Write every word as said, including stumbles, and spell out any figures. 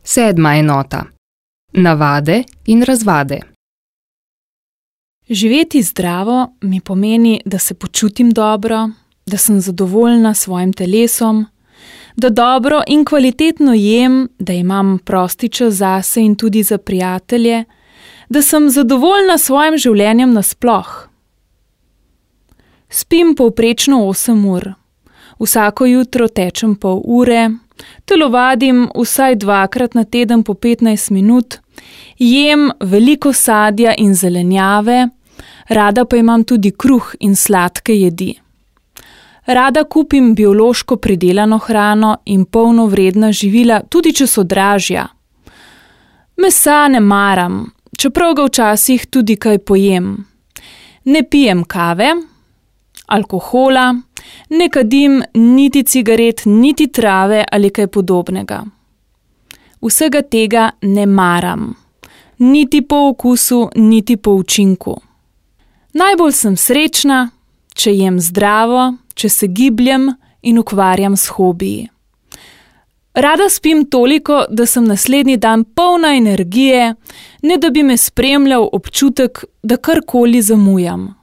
Sedma enota. Navade in razvade. Živeti zdravo mi pomeni, da se počutim dobro, da sem zadovoljna s svojim telesom, da dobro in kvalitetno jem, da imam prosti čas zase in tudi za prijatelje, da sem zadovoljna s svojim življenjem nasploh. Spim povprečno osem ur. Vsako jutro tečem pol ure, telovadim vsaj dvakrat na teden po petnajst minut, jem veliko sadja in zelenjave, rada pa imam tudi kruh in sladke jedi. Rada kupim biološko pridelano hrano in polnovredna živila, tudi če so dražja. Mesa ne maram, čeprav ga včasih tudi kaj pojem. Ne pijem kave, alkohola, ne kadim niti cigaret, niti trave ali kaj podobnega. Vsega tega ne maram, niti po okusu, niti po učinku. Najbolj sem srečna, če jem zdravo, če se gibljem in ukvarjam s hobiji. Rada spim toliko, da sem naslednji dan polna energije, ne da bi me spremljal občutek, da karkoli zamujam.